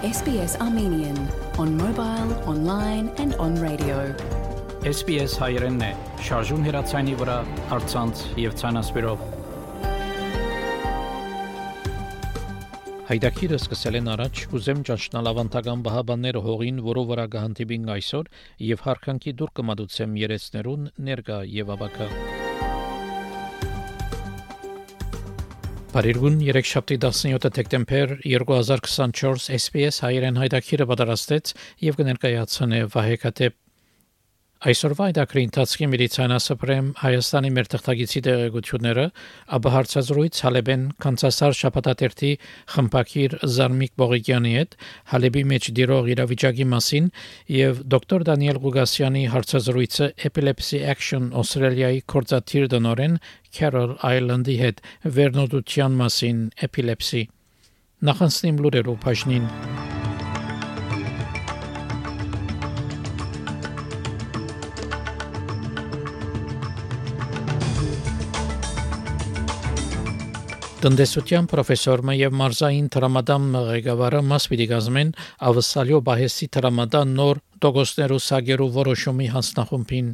SBS Armenian on mobile, online and on radio. SBS հայերենն է, շարժուն հեռացանի վրա, առցանց եւ ցանասպիրով։ Հայդակիրը սկսել են առաջ, ուզեմ ճանչնալ ավանդական բահաբանները հողին, որով վրա գահանտիբին այսօր եւ հարկանքի դուր կմադուցեմ երեցներուն ներկա եւ ավակա։ Բարերգուն 3-7 դեկտեմբեր 2024 SBS հայերեն հայդակիրը պատրաստեց եւ կներկայացնե Վահե Քաթեփ։ Այսօրվա այդակրի ընթացքի միլիցիանասպրեմ Հայաստանի մեր թղթագիտի տեղեկությունները, ապա հարցազրույց Հալեբեն Կանցասար շաբաթաթերթի խմբակիր Զարմիկ Բողիկյանի հետ Հալեբի մեջ դիրող իրավիճակի մասին եւ դոկտոր Դանիել Գուգասյանի հարցազրույցը Epilepsy Action Australia-ի կորզաթիր դնորեն Carol Island-ի հետ վերնոտության մասին epilepsy։ Նախանցնիմ լուրերով բաժնին։ Տնտեսության պրոֆեսորը եւ մարզային տրամադամ ղեկավարը մաս պիտի կազմեն ավսալյո բահեսի տրամադան նոր դոգոսներու սագերու որոշումի հանձնախումբին։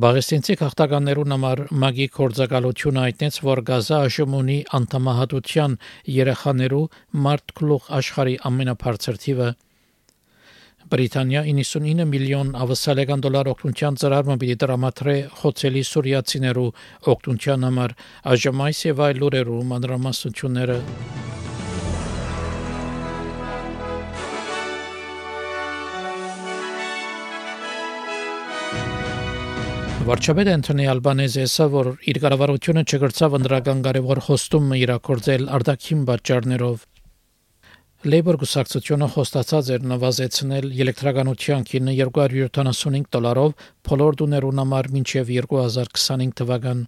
Բաղեստինցի քաղաքականներուն համար մագի կորձակալությունը այդտենց որ Գազա աշմունի անդամահատության երեխաներու մարդ գլուխ աշխարհի ամենաբարձր թիվը։ Բրիտանիա 99 միլիոն ավսալական դոլար օգնության ծրարը պիտի տրամադրե խոցելի սուրիացիներու օգնության համար, այժմ այս եւ այլ լուրերու մանրամասնությունները։ Վարչապետ Անթոնի Ալբանեզը ասա, որ իր կառավարությունը չգրծավ ընդրական կարևոր խոստումը իրականացնել արտաքին պատճառներով։ Labour գուսակցությունը խոստացած էր նվազեցնել էլեկտրականության գինը $275 բոլոր տուներուն համար մինչև 2025 թվական։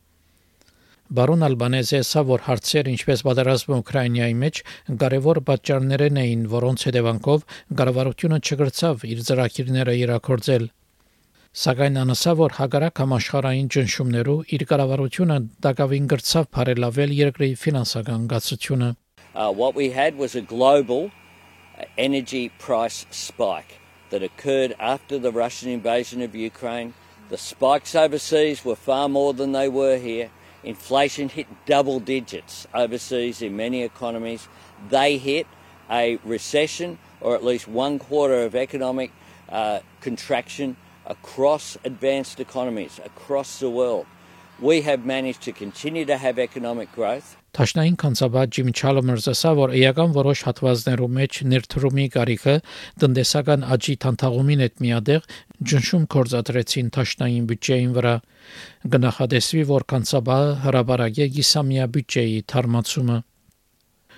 Բարոն Ալբանեզը ասա, որ հարցեր ինչպես պատերազմը Ուկրաինայի մեջ կարևոր պատճառներն էին, որոնց հետևանքով կառավարությունը չգրծավ իր ծրագիրները իրականացնել։ Սակայն անասա, որ հագարակ համաշխարհային ճնշումներու իր կառավարությունը դակավին գրծավ բարելավել երկրի ֆինանսական գացությունը։ What we had was a global energy price spike that occurred after the Russian invasion of Ukraine. The spikes overseas were far more than they were here. Inflation hit double digits overseas in many economies. They hit a recession or at least 1/4 of economic contraction across advanced economies across the world. We have managed to continue to have economic growth. Տաշնային կանցաբար Ջիմ Չալմերսը ասա, որ էական որոշ հատվածներու մեջ ներդրումի կարիքը տնտեսական աճի թանթաղումին հետ միադեղ ճնշում կորզադրեցին տաշնային բյուջեին վրա։ Գնահատեսվի, որ կանցաբարը հրաբարագե գիսամյա բյուջեի թարմացումը։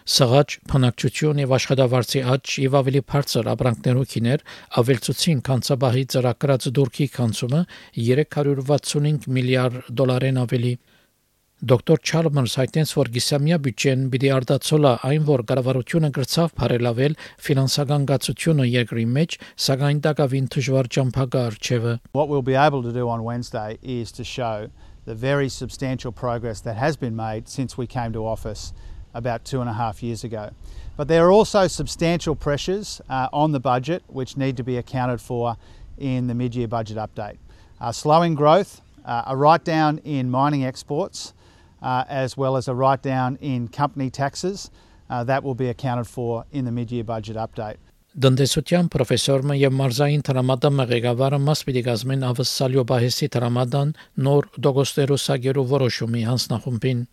Սղաճ, փնակչություն եւ աշխատավարձի աճ եւ ավելի բարձր ապրանքներու քիներ ավելցուցին կանցաբահի ծրագրած դուրքի կանցումը $365 միլիարդ ավելի։ Դոկտոր Չալմերս հայտնեց, որ գիսամյա բյուջեն պիտի արտացոլա այն, որ կառավարությունը գրծավ բարելավել ֆինանսական գացությունը երկրի մեջ, սակայն դակավին դժվար ճամփակա արժևը։ What we'll be able to do on Wednesday is to show the very substantial progress that has been made since we came to office about 2.5 years ago. But there are also substantial pressures on the budget which need to be accounted for in the mid-year budget update. Slowing growth, a write-down in mining exports, as well as a write-down in company taxes that will be accounted for in the mid-year budget update. Տնտեսության պրոֆեսորը եւ մարզային տրամադամ ղեկավարը մաս պիտի կազմեն ավսալյո բահեսի տրամադան նոր դոգոստերու սագերու որոշումի հանձնախումբին։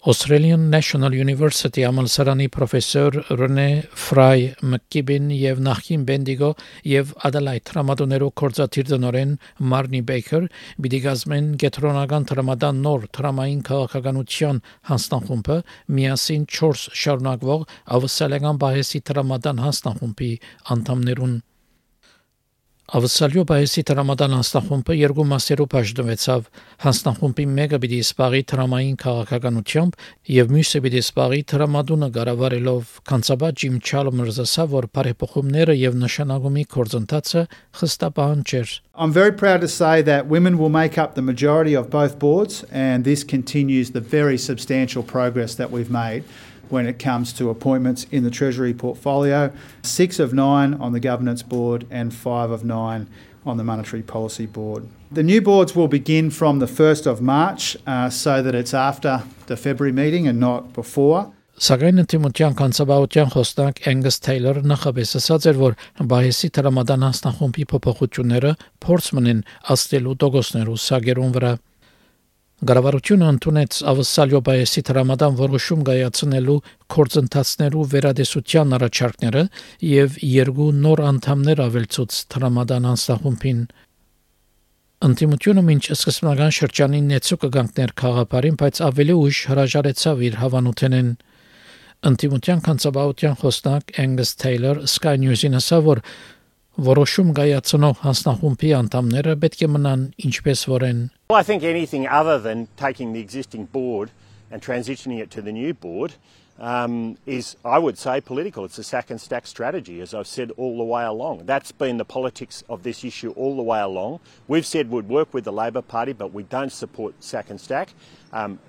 Australian National University ամալսարանի պրոֆեսոր Ռենե Ֆրայ Մկիբին եւ նախին Բենդիգո եւ Ադելայդ տրամադոներու կորզաթիր դնորեն Մարնի Բեյքեր պիտի կազմեն գետրոնական տրամադան նոր տրամային քաղաքականության հանձնախումբը միասին 4 շարունակվող ավսալական բահեսի տրամադան հանձնախումբի անդամներուն։ Ավսալյո բահեսի տրամադան հանձնախումբը երկու մասերով բաժանվեցավ։ Հանձնախումբի մեկը պիտի սպառի տրամային քաղաքականությամբ եւ մյուսը պիտի սպառի տրամադունը կառավարելով։ Կանցաբար Ջիմ Չալմերսը ասա, որ բարեփոխումները եւ նշանակումի կորձընթացը խստապահան չէր։ I'm very proud to say that women will make up the majority of both boards, and this continues the very substantial progress that we've made when it comes to appointments in the Treasury portfolio, 6 of 9 on the Governance Board and 5 of 9 on the Monetary Policy Board. The new boards will begin from the 1st of March so that it's after the February meeting and not before. Սակայն ընդդիմության կանցաբահության խոսնակ Angus Taylor նախապես ասաց էր, որ Բայեսի տրամադան հանձնախումբի փոփոխությունները փորձ մնեն աստելու դոգոսներու սագերուն վրա։ Գարավարությունը ընդունեց Ավսալյո Բայեսի տրամադան որոշում կայացնելու կորձընթացներու վերադեսության առաջարկները եւ 2 նոր անդամներ ավելցուց տրամադան հանձնախումբին։ Ընդդիմությունը մինչ սկզբնական շրջանին նեցու կգանքներ խաղապարին, բայց ավելի ուշ հրաժարեցավ իր հավանութենեն։ Ընդդիմության կանցաբահության խոսնակ Angus Taylor Sky News-ին ասավ, որ որոշում կայացնող հանձնախումբի անդամները պետք է մնան ինչպես որեն։ Well, I think anything other than taking the existing board and transitioning it to the new board is, I would say, political. It's a sack and stack strategy, as I've said all the way along. That's been the politics of this issue all the way along. We've said we'd work with the Labor Party, but we don't support sack and stack.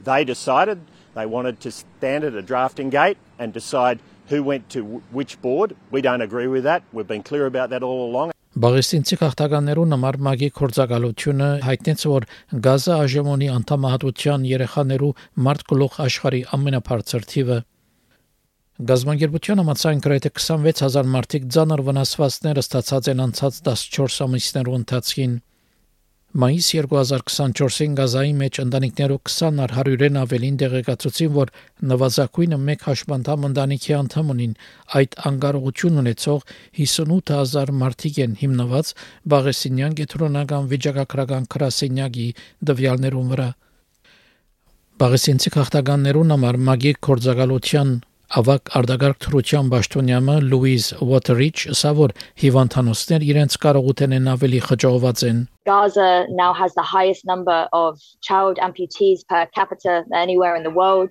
They decided they wanted to stand at a drafting gate and decide who went to which board. We don't agree with that. We've been clear about that all along. Բաղեստինցի քաղաքականներուն համար մագի կորձակալությունը հայտնեց, որ Գազա ԱԺՄ-ի անդամահատության երեխաներու մարտկլող աշխարհի ամենաբարձր թիվը։ Գազագերբության համաձայն գրեթե 26000 մարդիկ ծանր վնասվածքներ ստացած են անցած 14 ամիսներու ընթացքին։ Մայիս 2024-ին Գազայի մեջ ընտանիքներու 20-ար 100-ն ավելին դեղեկացուցին, որ նվազագույնը 1 հաշմանդամ ընտանիքի անդամ ունին, այդ անկարողություն ունեցող 58000 մարդիկ են հիմնված Բաղեսինյան գետրոնական վիճակագրական գրասենյակի դվյալներուն վրա։ Բաղեսինցի քաղաքականներուն համար մագի կորձակալության ավակ արտագաղթ թրության պաշտոնյամը Լուիզ Ուոթերիչ ասա, որ հիվանդանոցներ իրենց կարողութենեն ավելի խճողված են։ Gaza now has the highest number of child amputees per capita than anywhere in the world.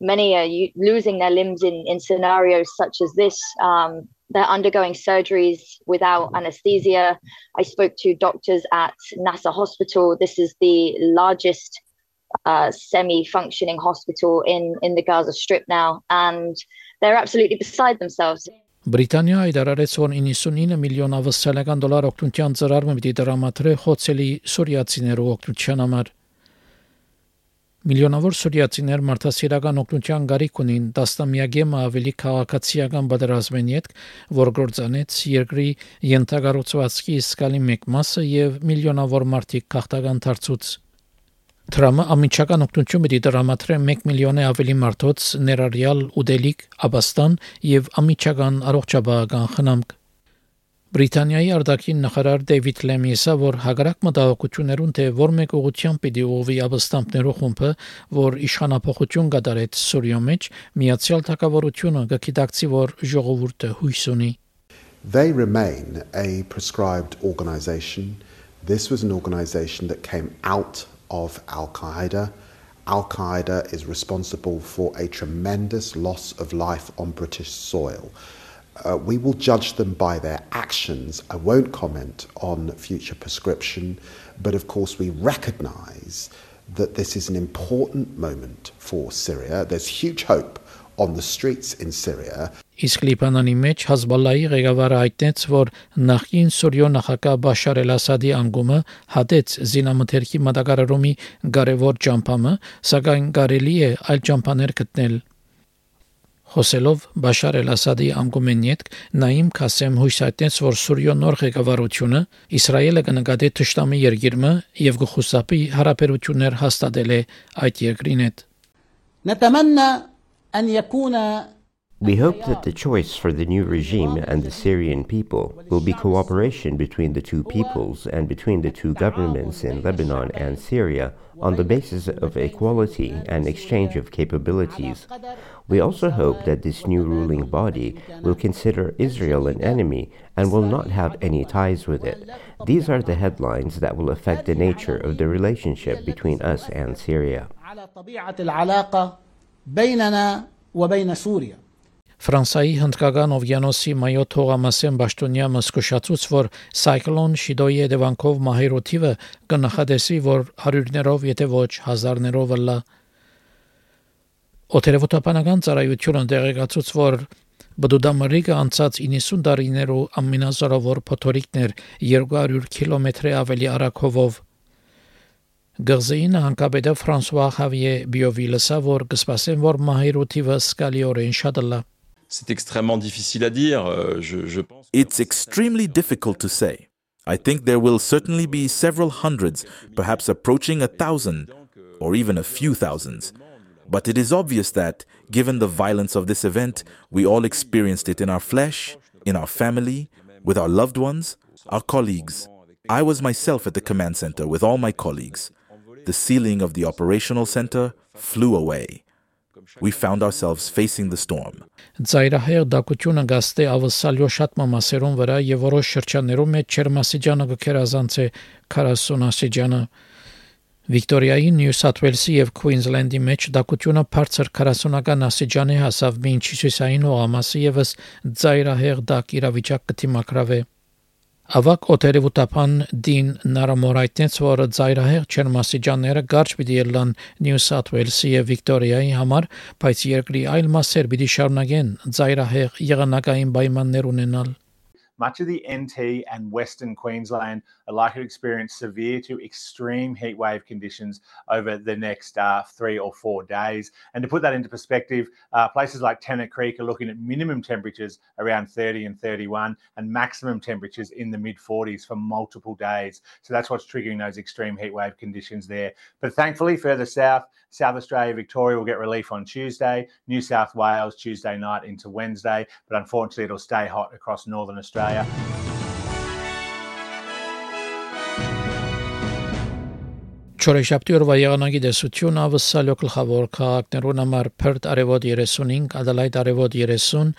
Many are losing their limbs in scenarios such as this. They're undergoing surgeries without anesthesia. I spoke to doctors at Nasser Hospital. This is the largest semi-functioning hospital in the Gaza Strip now, and they're absolutely beside themselves. Բրիտանիա հայտարարեց, որ 99 միլիոն ավստրալիական դոլար օգնության ծրարը պիտի դրամատրի խոցելի սուրիացիներու օգնության համար։ Միլիոնավոր սուրիացիներ մարդասիրական օգնության գարիք ունին, տասնամյակը ավելի քաղաքացիական պատերազմեն յետք, որ գործանեց երկրի ենթակառուցվածքի իսկալի մեկ մասը եւ միլիոնավոր մարդիկ քաղաքական դարձուց։ Տրամը ամիջական օգնություն պիտի դրամատրի 1 միլիոնի ավելի մարդոց ներառյալ ուդելիք, աբաստան եւ ամիջական առողջապահական խնամք։ Բրիտանիայի արտաքին նախարար Դեյվիդ Լեմի ասա, որ հակառակ մտահոգություններուն թե որ մեկ ուղղությամբ պիտի ուղղվի աբաստանքներու խումբը, որ իշխանապահություն կատարեց Սուրիա մեջ, Միացյալ Թագավորությունը կգիտակցի, որ ժողովուրդը հույս ունի։ They remain a prescribed organisation. This was an organisation that came out of Al-Qaeda. Al-Qaeda is responsible for a tremendous loss of life on British soil. We will judge them by their actions. I won't comment on future prescription, but of course we recognise that this is an important moment for Syria. There's huge hope on the streets in Syria. Իսկ Լիբանանի մեջ Հազբալլայի ղեկավարը հայտնեց, որ նախկին Սուրիո նախագահ Բաշար էլ-Ասադի անկումը հատեց զինամթերքի մատակարարումի կարևոր ճամփամը, սակայն կարելի է այլ ճամփաներ գտնել։ Խոսելով Բաշար էլ-Ասադի անկումեն յետք Նաիմ Քասեմ հույս հայտնեց, որ Սուրիո նոր ղեկավարությունը Իսրայելը կնկատի թշնամի երկիրը եւ կխուսափի հարաբերություններ հաստատել է այդ երկրին հետ։ نتمنى أن يكون We hope that the choice for the new regime and the Syrian people will be cooperation between the two peoples and between the two governments in Lebanon and Syria on the basis of equality and exchange of capabilities. We also hope that this new ruling body will consider Israel an enemy and will not have any ties with it. These are the headlines that will affect the nature of the relationship between us and Syria. Ֆրանսայի հնդկական օվկիանոսի մայոց հողամասեն պաշտոնյա մսկուշացուց, որ սայկլոն Շիդոյի հետևանքով մահերու թիվը կնախադեսվի, որ հարյուրներով, եթե ոչ հազարներով լա։ Օթերևութապանական ծառայությունը դեղեկացուց, որ Բդուդամրիկը անցած 90 տարիներու ամենազորավոր փոթորիկներ 200 կիլոմետրի ավելի արագով Գազին հանկաբեդը Ֆրանսուଆ Խավիե Բիովիլսը որ կսպասեն որ մահիրութիվը սկալիորեն շատլա C'est extrêmement difficile à dire. Je pense. It's extremely difficult to say. I think there will certainly be several hundreds, perhaps approaching 1,000, or even a few thousands. But it is obvious that, given the violence of this event, we all experienced it in our flesh, in our family, with our loved ones, our colleagues. I was myself at the command center with all my colleagues. The ceiling of the operational center flew away. We found ourselves facing the storm. Ծայրահեղ դակությունը գաստե ավսալյո շատ մամասերուն վրա եւ որոշ շրջաններում մեջ Չերմասիջանը գքերազանց է 40 աստիճանը Վիկտորիայի Նյու Սաթ Ուելսի եւ Քուինզլենդի մեջ դակությունը բարձր 40-ական աստիճանի հասավ մինչ հյուսիսային օղամասի եւս ծայրահեղ դակ իրավիճակ կդիմակրավե Ավակ օթերևութապան Դին Նարամորայտնեց, որ ծայրահեղ Չերմասիջանները կարճ պիտի ելան Նյու Սաթ Ուելսի եւ Վիկտորիայի համար, բայց երկրի այլ մասեր պիտի շարունակեն ծայրահեղ եղանակային պայմաններ ունենալ Much of the NT and Western Queensland are likely to experience severe to extreme heatwave conditions over the next 3 or 4 days. And to put that into perspective, places like Tennant Creek are looking at minimum temperatures around 30 and 31 and maximum temperatures in the mid-40s for multiple days. So that's what's triggering those extreme heatwave conditions there. But thankfully, further south, South Australia, Victoria will get relief on Tuesday, New South Wales Tuesday night into Wednesday, but unfortunately it'll stay hot across Northern Australia. Չորեշաբթի օրվա եղանակի դեսություն ավսալյո գլխավոր քաղաքներուն համար Perth արևոտ 35, Adelaide արևոտ 30,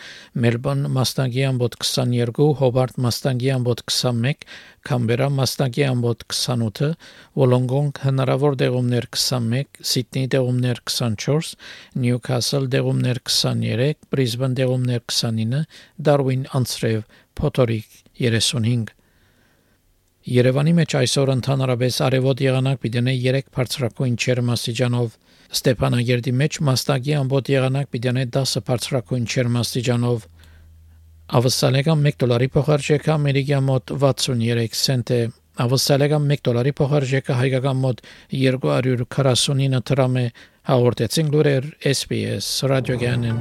Melbourne մասնագի ամբոտ 22, Hobart մասնագի ամբոտ 21, Canberra մասնագի ամբոտ 28, Wollongong հնարավոր դեղումներ 21, Sydney դեղումներ 24, Newcastle դեղումներ 23, Brisbane դեղումներ 29, Darwin անցրև փոթորիկ 35 Երևանի մեջ այսօր ընդհանրապես արևոտ եղանակ պիտենե 3 բարձրակույն չերմաստիճանով Ստեփանագերդի մեջ մասնագի ամբոտ եղանակ պիտենե 10 բարձրակույն չերմաստիճանով Ավսալեգան $1 փոխարժեքը ամերիկյան մոտ 63 سنت է Ավսալեգան $1 փոխարժեքը հայկական մոտ 249 դրամ է հաղորդեցին լուրեր SBS ռադիոգյանն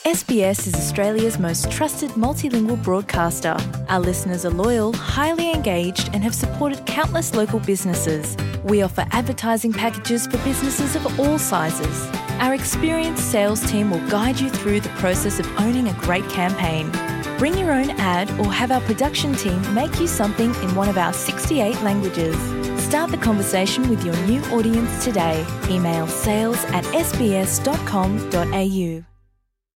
SBS is Australia's most trusted multilingual broadcaster. Our listeners are loyal, highly engaged, and have supported countless local businesses. We offer advertising packages for businesses of all sizes. Our experienced sales team will guide you through the process of owning a great campaign. Bring your own ad or have our production team make you something in one of our 68 languages. Start the conversation with your new audience today. Email sales@sbs.com.au.